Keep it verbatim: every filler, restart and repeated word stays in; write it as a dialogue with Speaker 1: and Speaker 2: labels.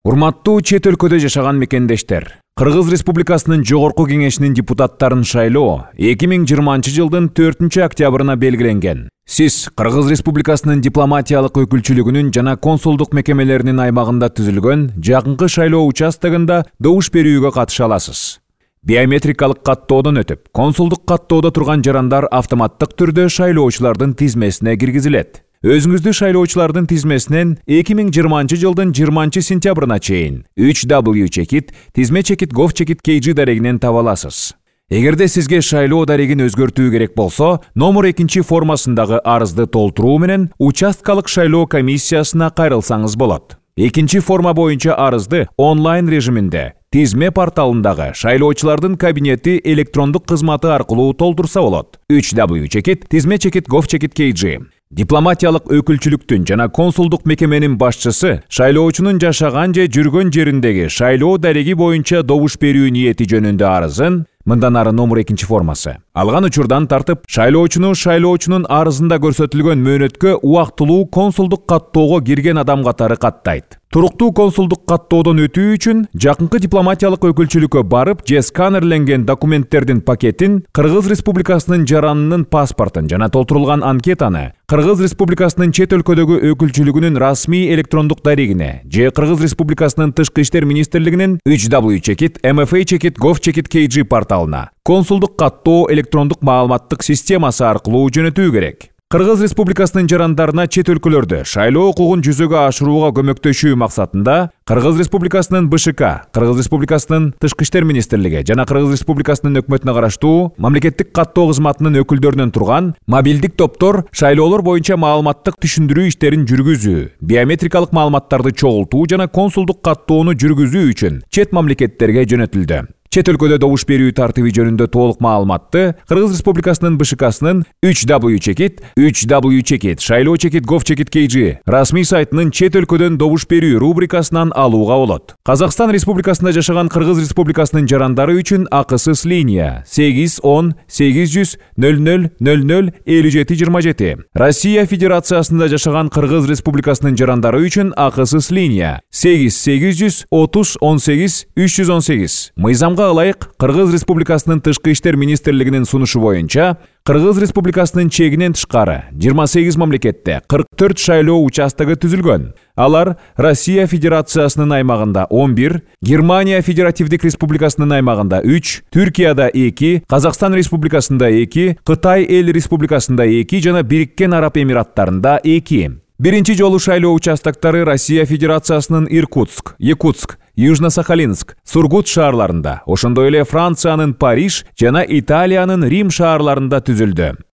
Speaker 1: Урматтуу чет өлкөдө жашаган мекендештер, Кыргыз Республикасынын Жогорку Кеңешинин депутаттарын шайлоо эки миң жыйырманчы жылдын төртүнчү октябрына белгиленген. Сиз Кыргыз Республикасынын дипломатиялык өкүлчүлүгүнүн жана консулдук мекемелеринин аймагында түзүлгөн жакынкы шайлоо участогунда добуш берүүгө катыша аласыз. Биометрикалык каттоодон өтүп, консулдук каттоодо турган жарандар автоматтык түрдө шайлоочулардын тизмесине киргизилет. Өзүңүздү шайлоочулардын тизмесинен эки миң жыйырманчы жылдын жыйырманчы сентябрына чейин үч дабл ю чекит тизме чекит gov чекит kg дарегинен таба аласыз. Эгерде сизге шайлоо дарегин өзгөртүү керек болсо, номер экинчи формасындагы арызды толтуруу менен участкалык шайлоо комиссиясына кайрылсаңыз болот. Экинчи форма боюнча арызды онлайн режиминде тизме порталындагы шайлоочулардын кабинети электрондук кызматы аркылуу толтурса болот. үч дабл ю чекит тизме чекит gov чекит kg. Дипломатиялык өкүлчүлүктүн жана консулдук мекеменин башчысы шайлоочунун жашаган же жүргөн жериндеги шайлоо дареги боюнча добуш берүү ниети жөнүндө арызын мындан ары номер экинчи формасы алган учурдан тартып шайлоочуну шайлоочунун арызында көрсөтүлгөн мөөнөткө убактылуу консулдук каттоого кирген адам катары каттайт. Туруктуу консулдук каттоодон өтүү үчүн жакынкы дипломатиялык өкүлчүлүккө барып же сканерленген документтердин пакетин, Кыргыз Республикасынын жаранынын паспортун жана толтурулган анкетаны Кыргыз Республикасынын чет өлкөдөгү өкүлчүлүгүнүн расмий электрондук дарегине же Кыргыз Республикасынын Тышкы иштер министрлигинин үч дабл ю чекит эм эф а чекит gov чекит kg порталына консулдук каттоо электрондук маалыматтык системасы аркылуу жөнөтүү керек. Кыргыз Республикасынын жарандарына чет өлкөлөрдө шайлоо укугун жүзөгө ашырууга көмөктөшүү максатында Кыргыз Республикасынын бэ шэ ка, Кыргыз Республикасынын Тышкы иштер министрлиги жана Кыргыз Республикасынын өкмөтүнө караштуу мамлекеттик каттоо кызматынын өкүлдөрүнөн турган мобилдик топтор шайлоолор боюнча маалыматтык түшүндүрүү иштерин жүргүзүү, биометрикалык маалыматтарды чогултуу жана консулдук каттоону жүргүзүү үчүн чет мамлекеттерге жөнөтүлдү. Чет өлкөдө добуш берүү тартиби жөнүндө толук маалыматты Кыргыз Республикасынын бэ шэ касынын үч дабл ю чекит үч дабл ю чекит шайлоо чекит gov чекит kg расмий сайтынын чет өлкөдөн добуш берүү рубрикасынан алууга болот. Казакстан Республикасында жашаган Кыргыз Республикасынын жарандары үчүн акысыз линия сегиз он сегиз жүз нөл нөл нөл нөл элүү жети жыйырма жети. Россия Федерациясында жашаган Кыргыз Республикасынын жарандары үчүн акысыз линия сегиз сегиз жүз отуз он сегиз үч жүз он сегиз. Мыйзамга ылайык Кыргыз Республикасынын Тышкы иштер министрлигинин сунушу боюнча Кыргыз Республикасынын чегинен тышкары жыйырма сегиз мамлекетте кырк төрт шайлоо участогу түзүлгөн. Алар Россия Федерациясынын аймагында он бир, Германия Федеративдик Республикасынын аймагында үч, Түркияда эки, Казакстан Республикасында эки, Кытай Эл Республикасында эки жана Бириккен Араб Эмираттарында эки. Биринчи жолу шайлоо участоктары Россия Федерациясынын Иркутск, Якутск, Южно-Сахалинск, Сургут шаарларында, ошондой эле Франциянын Париж жана Италиянын Рим шаарларында түзүлдү.